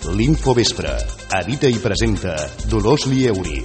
L'Infovespre. Edita i presenta Dolors Lieuri.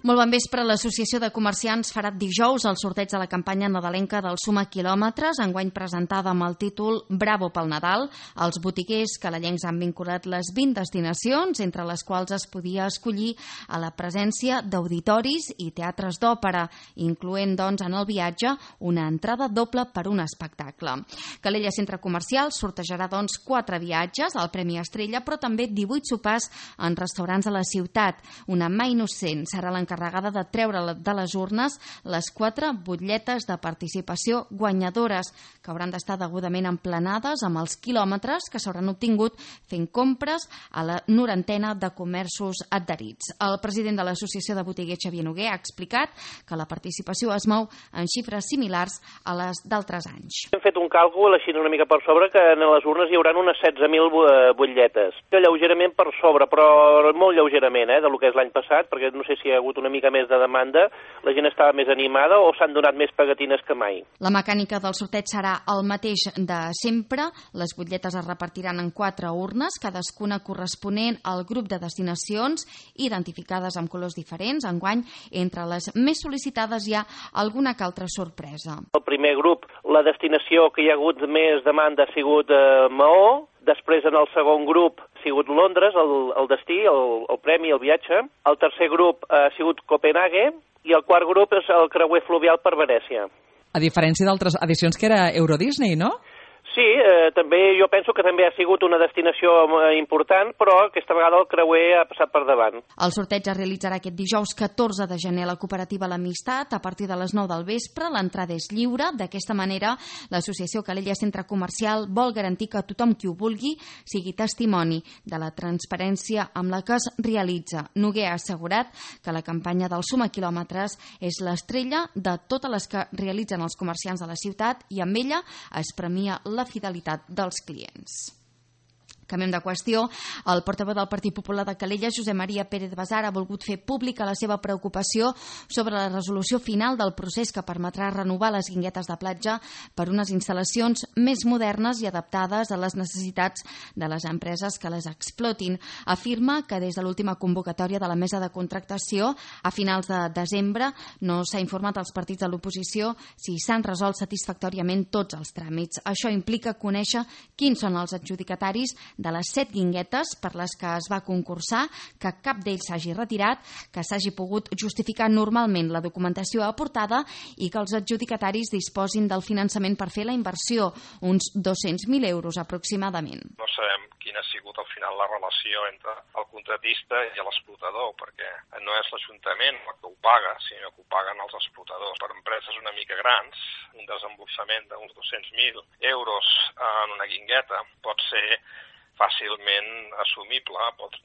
Molt bon vespre. L'Associació de Comerciants farà dijous el sorteig de la campanya nadalenca del Suma Quilòmetres, enguany presentada amb el títol Bravo pel Nadal. Els botiguers calalencs han vinculat les 20 destinacions, entre les quals es podia escollir a la presència d'auditoris i teatres d'òpera, incloent, doncs, en el viatge una entrada doble per un espectacle. Calella Centre Comercial sortejarà, doncs, 4 viatges al Premi Estrella, però també 18 sopars en restaurants de la ciutat. Una mà innocent serà l'encarregada de treure de les urnes les 4 butlletes de participació guanyadores, que hauran d'estar degudament emplenades amb els quilòmetres que s'hauran obtingut fent compres a la 90ena de comerços adherits. El president de l'Associació de Botiguers, Xavier Noguer, ha explicat que la participació es mou en xifres similars a les d'altres anys. Hem fet un càlcul així una mica per sobre que en les urnes hi haurà unes 16.000 butlletes. Lleugerament per sobre, però molt lleugerament, del que és l'any passat, perquè no sé si hi ha hagut una mica més de demanda, la gent estava més animada o s'han donat més pegatines que mai. La mecànica del sorteig serà el mateix de sempre. Les butlletes es repartiran en 4 urnes, cadascuna corresponent al grup de destinacions identificades amb colors diferents. Enguany, entre les més sol·licitades hi ha alguna que altra sorpresa. El primer grup, la destinació que hi ha hagut més demanda ha sigut Maó. Després, en el segon grup, ha sigut Londres, el destí, el premi, el viatge. El tercer grup ha sigut Copenhague i el quart grup és el creuer fluvial per Venècia. A diferència d'altres edicions que era Euro Disney, no? Sí, també jo penso que també ha sigut una destinació important, però aquesta vegada el creuer ha passat per davant. El sorteig es realitzarà aquest dijous 14 de gener a la cooperativa L'Amistat a partir de les 9 del vespre. L'entrada és lliure. D'aquesta manera, l'Associació Calella Centre Comercial vol garantir que tothom qui ho vulgui sigui testimoni de la transparència amb la que es realitza. Noguer ha assegurat que la campanya del Suma Quilòmetres és l'estrella de totes les que realitzen els comerciants de la ciutat i amb ella es premia la fidelitat dels clients. Canviem de qüestió. El portaveu del Partit Popular de Calella, Josep Maria Pérez Basar, ha volgut fer pública la seva preocupació sobre la resolució final del procés que permetrà renovar les guinguetes de platja per unes instal·lacions més modernes i adaptades a les necessitats de les empreses que les explotin. Afirma que des de l'última convocatòria de la mesa de contractació a finals de desembre no s'ha informat als partits de l'oposició si s'han resolt satisfactòriament tots els tràmits. Això implica conèixer quins són els adjudicataris de les 7 guinguetes per les que es va concursar, que cap d'ells s'hagi retirat, que s'hagi pogut justificar normalment la documentació aportada i que els adjudicataris disposin del finançament per fer la inversió, uns 200.000 euros aproximadament. No sabem quina ha sigut al final la relació entre el contratista i l'explotador, perquè no és l'Ajuntament el que ho paga, sinó que ho paguen els explotadors. Per empreses una mica grans, un desemborsament d'uns 200.000 euros en una guingueta pot ser fàcilment assumible,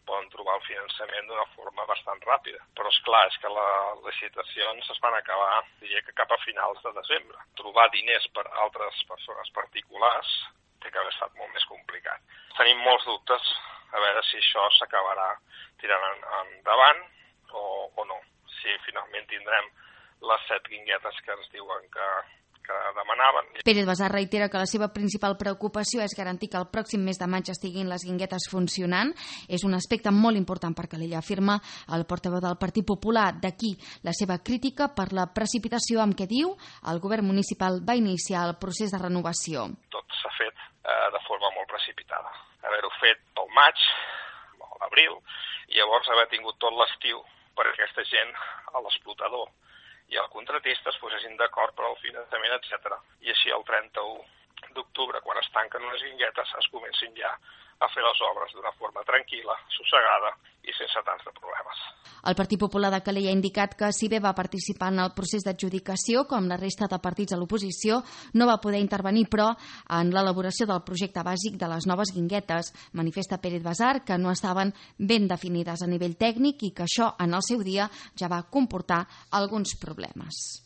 poden trobar el finançament d'una forma bastant ràpida. Però és clar, és que les licitacions es van acabar, diria que cap a finals de desembre. Trobar diners per altres persones particulars té que haver estat molt més complicat. Tenim molts dubtes a veure si això s'acabarà tirant endavant o no. Si finalment tindrem les 7 guinguetes que ens diuen que demanaven. Pérez Basar reitera que la seva principal preocupació és garantir que el pròxim mes de maig estiguin les guinguetes funcionant. És un aspecte molt important per Calella, afirma el portaveu del Partit Popular. D'aquí la seva crítica per la precipitació amb què diu el govern municipal va iniciar el procés de renovació. Tot s'ha fet de forma molt precipitada. Haver-ho fet pel maig, o l'abril, i llavors haver tingut tot l'estiu per aquesta gent, a l'explotador i el contratista es posessin d'acord per al finançament, etc. I així el 31 d'octubre, quan es tanquen les guinguetes, es comencin ja a fer les obres d'una forma tranquil·la, sossegada i sense tants de problemes. El Partit Popular de Calella ha indicat que si bé va participar en el procés d'adjudicació, com la resta de partits a l'oposició, no va poder intervenir, però, en l'elaboració del projecte bàsic de les noves guinguetes. Manifesta Pérez Basar que no estaven ben definides a nivell tècnic i que això, en el seu dia, ja va comportar alguns problemes.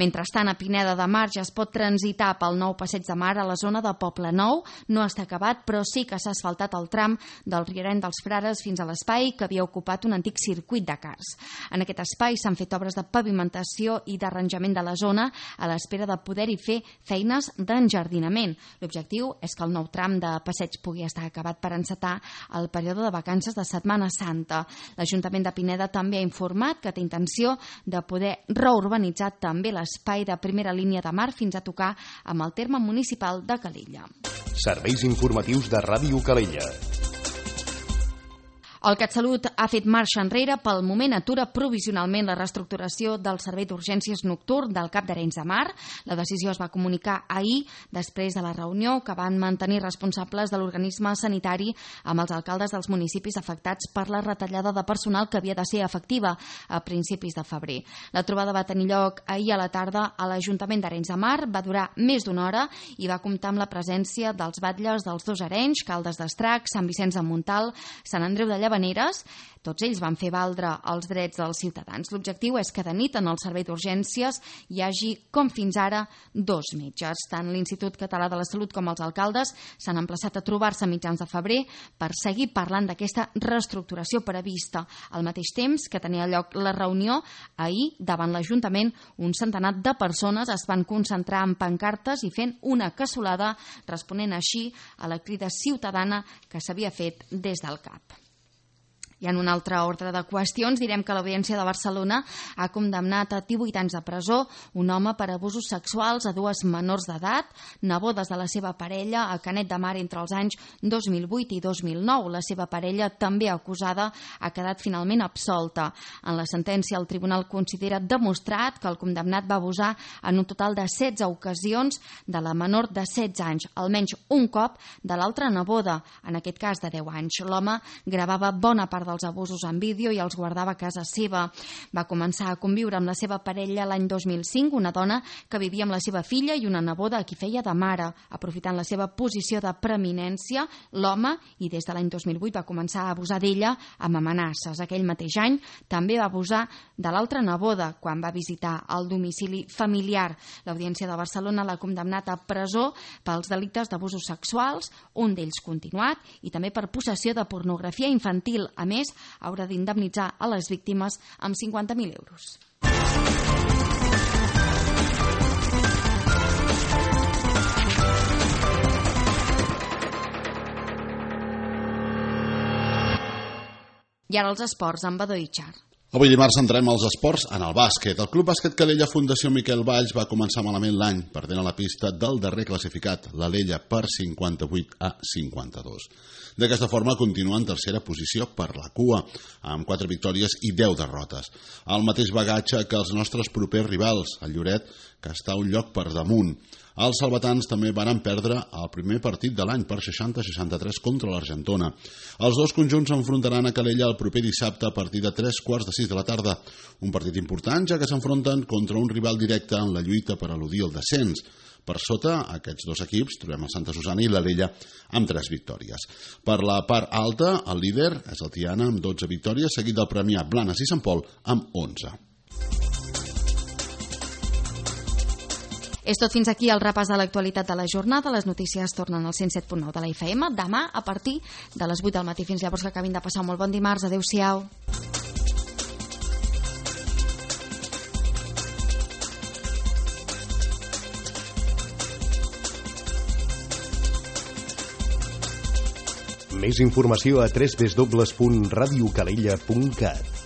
Mentrestant, a Pineda de Mar ja es pot transitar pel nou passeig de mar a la zona de Poble Nou. No està acabat, però sí que s'ha asfaltat asfaltat el tram del Riereny dels Frares fins a l'espai que havia ocupat un antic circuit de cars. En aquest espai s'han fet obres de pavimentació i d'arranjament de la zona a l'espera de poder-hi fer feines d'enjardinament. L'objectiu és que el nou tram de passeig pugui estar acabat per encetar el període de vacances de Setmana Santa. L'Ajuntament de Pineda també ha informat que té intenció de poder reurbanitzar també l'espai de primera línia de mar fins a tocar amb el terme municipal de Calella. Serveis informatius de Ràdio Calella. El CatSalut ha fet marxa enrere. Pel moment atura provisionalment la reestructuració del servei d'urgències nocturn del Cap d'Arenys de Mar. La decisió es va comunicar ahir després de la reunió que van mantenir responsables de l'organisme sanitari amb els alcaldes dels municipis afectats per la retallada de personal que havia de ser efectiva a principis de febrer. La trobada va tenir lloc ahir a la tarda a l'Ajuntament d'Arenys de Mar, va durar més d'una hora i va comptar amb la presència dels batlles dels dos Arenys, Caldes d'Estrac, Sant Vicenç de Montalt, Sant Andreu de Llavaneres. Tots ells van fer valdre els drets dels ciutadans. L'objectiu és que de nit en el servei d'urgències hi hagi, com fins ara, 2 metges. Tant l'Institut Català de la Salut com els alcaldes s'han emplaçat a trobar-se a mitjans de febrer per seguir parlant d'aquesta reestructuració prevista. Al mateix temps que tenia lloc la reunió, ahir, davant l'Ajuntament, un centenar de persones es van concentrar en pancartes i fent una cassolada, responent així a la crida ciutadana que s'havia fet des del CAP. I en un altre ordre de qüestions, direm que l'Audiència de Barcelona ha condemnat a 18 anys de presó un home per abusos sexuals a 2 menors d'edat, nebodes de la seva parella, a Canet de Mar entre els anys 2008 i 2009. La seva parella, també acusada, ha quedat finalment absolta. En la sentència, el tribunal considera demostrat que el condemnat va abusar en un total de 16 ocasions de la menor de 16 anys, almenys un cop de l'altra neboda, en aquest cas de 10 anys. L'home gravava bona part dels abusos en vídeo i els guardava a casa seva. Va començar a conviure amb la seva parella l'any 2005, una dona que vivia amb la seva filla i una neboda a qui feia de mare. Aprofitant la seva posició de preeminència, l'home, i des de l'any 2008 va començar a abusar d'ella amb amenaces. Aquell mateix any també va abusar de l'altra neboda quan va visitar el domicili familiar. L'Audiència de Barcelona l'ha condemnat a presó pels delictes d'abusos sexuals, un d'ells continuat, i també per possessió de pornografia infantil. A més, haurà d'indemnitzar a les víctimes amb 50.000 euros. I ara els esports amb Badó Itxar. Avui dimarts centrem els esports en el bàsquet. El Club Bàsquet Calella Fundació Miquel Valls va començar malament l'any, perdent a la pista del darrer classificat, l'Alella, per 58-52. D'aquesta forma continua en tercera posició per la cua, amb 4 victòries i 10 derrotes. El mateix bagatge que els nostres propers rivals, el Lloret, que està un lloc per damunt. Els salvatans també van perdre el primer partit de l'any per 60-63 contra l'Argentona. Els dos conjunts s'enfrontaran a Calella el proper dissabte a partir de 3:45 de la tarda. Un partit important, ja que s'enfronten contra un rival directe en la lluita per eludir el descens. Per sota, aquests dos equips, trobem el Santa Susana i l'Alella amb 3 victòries. Per la part alta, el líder és el Tiana amb 12 victòries, seguit del Premià, Blanes i Sant Pol amb 11. És tot fins aquí el repàs de l'actualitat de la jornada. Les notícies tornen al 107.9 de la FM demà a partir de les 8 del matí. Fins llavors, que acabin de passar un molt bon dimarts. Adéu-siau. Més informació a www.radiocalella.cat.